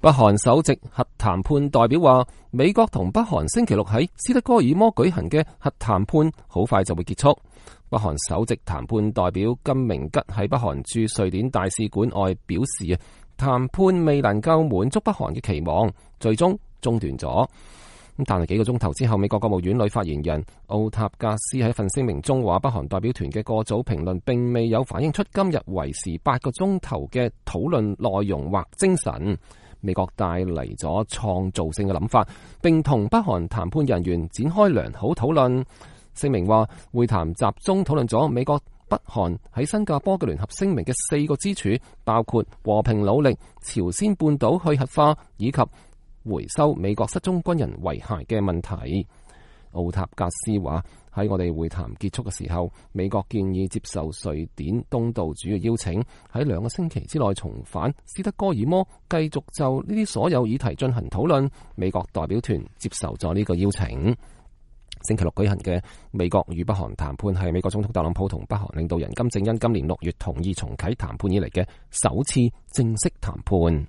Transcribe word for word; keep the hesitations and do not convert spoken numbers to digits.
北韓首席核談判代表話，美國同北韓星期六喺斯德哥爾摩舉行嘅核談判好快就會結束。北韓首席談判代表金明吉喺北韓駐瑞典大使館外表示啊，談判未能夠滿足北韓嘅期望，最終中斷咗。咁但係幾個鐘頭之後，美國國務院女發言人奧塔格斯喺份聲明中話，北韓代表團嘅過早評論並未有反映出今日為時八個鐘頭嘅討論內容或精神。美國帶嚟咗創造性嘅諗法，並同北韓談判人員展開良好討論。聲明話，會談集中討論咗美國北韓喺新加坡嘅聯合聲明嘅四個支柱，包括和平努力、朝鮮半島去核化以及回收美國失蹤軍人遺骸嘅問題。奧塔格斯話，喺我哋會談結束嘅時候，美國建議接受瑞典東道主嘅邀請，喺兩個星期之內重返斯德哥爾摩，繼續就呢啲所有議題進行討論。美國代表團接受咗呢個邀請。星期六舉行嘅美國與北韓談判係美國總統特朗普同北韓領導人金正恩今年六月同意重啟談判以嚟嘅首次正式談判。